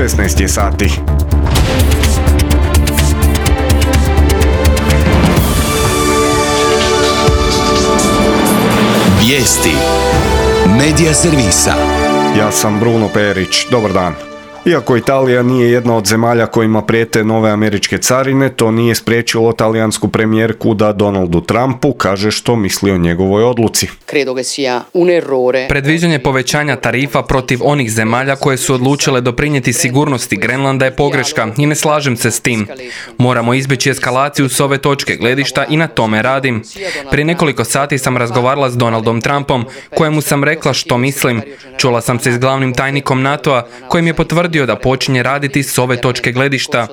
16 je sati. Vijesti Medija servisa. Ja sam Bruno Perić, dobar dan. Iako Italija nije jedna od zemalja kojima prijete nove američke carine, to nije spriječilo talijansku premijerku da Donaldu Trumpu kaže što misli o njegovoj odluci. Predviđanje povećanja tarifa protiv onih zemalja koje su odlučile doprinijeti sigurnosti Grenlanda je pogreška i ne slažem se s tim. Moramo izbjeći eskalaciju s ove točke gledišta i na tome radim. Prije nekoliko sati sam razgovarala s Donaldom Trumpom, kojemu sam rekla što mislim. Čula sam se s glavnim tajnikom NATO-a, kojim je potvrdio da počinje raditi s ove točke gledišta.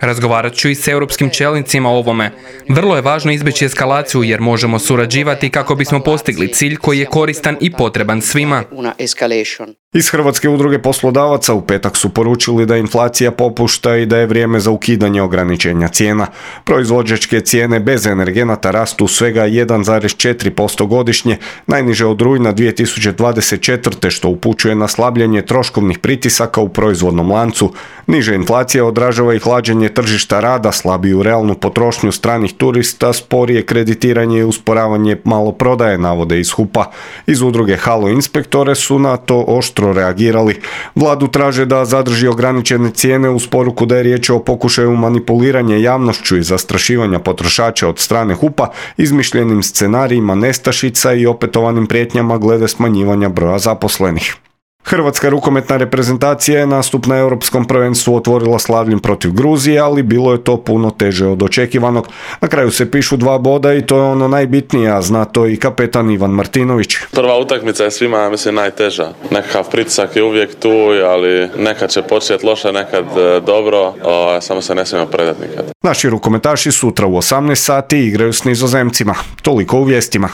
Razgovarat ću i s europskim čelnicima o ovome. Vrlo je važno izbjeći eskalaciju jer možemo surađivati kako bismo postigli cilj koji je koristan i potreban svima. Iz Hrvatske udruge poslodavaca u petak su poručili da inflacija popušta i da je vrijeme za ukidanje ograničenja cijena. Proizvođačke cijene bez energenata rastu svega 1,4% godišnje, najniže od rujna 2024. što upućuje na slabljenje troškovnih pritisaka u proizvodnom lancu. Niže inflacija odražava i hlađenje tržišta rada, slabiju realnu potrošnju stranih turista, sporije kreditiranje i usporavanje maloprodaje, navode iz HUP-a. Iz udruge Halo inspektore su na to oštro reagirali. Vladu traže da zadrži ograničene cijene uz poruku da je riječ o pokušaju manipuliranja javnošću i zastrašivanja potrošača od strane HUP-a, izmišljenim scenarijima nestašica i opetovanim prijetnjama glede smanjivanja broja zaposlenih. Hrvatska rukometna reprezentacija je nastup na Europskom prvenstvu otvorila slavljem protiv Gruzije, ali bilo je to puno teže od očekivanog. Na kraju se pišu 2 boda i to je ono najbitnije, a zna to i kapetan Ivan Martinović. Prva utakmica je svima, najteža. Nekakav pritisak je uvijek tu, ali nekad će početi loše, nekad dobro, samo se ne smijemo predati nikad. Naši rukometaši sutra u 18 sati igraju s Nizozemcima. Toliko u vijestima.